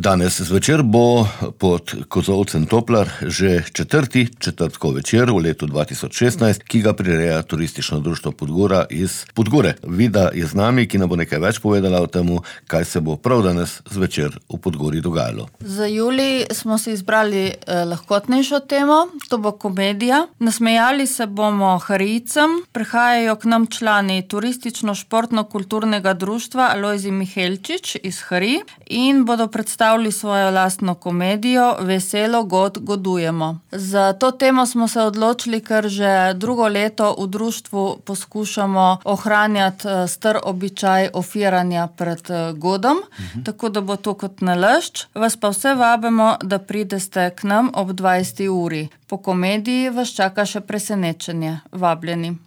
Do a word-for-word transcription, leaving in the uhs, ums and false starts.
Danes zvečer bo pod kozolcem Toplar že četrti četrtkov večer v letu dva tisoč šestnajst, ki ga prireja Turistično društvo Podgora iz Podgore. Vida je z nami, ki nam bo nekaj več povedala o temu, kaj se bo prav danes zvečer v Podgori dogajalo. Za julij smo si izbrali eh, lahkotnejšo temo, to bo komedija. Nasmejali se bomo Harijcem, prihajajo k nam člani Turistično-športno-kulturnega društva Alojzij Mihelčič iz Harij in bodo predstavili svojo lastno komedijo Veselo god godujemo. Za to temo smo se odločili, ker že drugo leto v društvu poskušamo ohranjati star običaj ofiranja pred godom, uh-huh. tako da bo to kot nalašč. Vas pa vse vabimo, da prideste k nam ob dvajseti uri. Po komediji vas čaka še presenečenje. Vabljeni.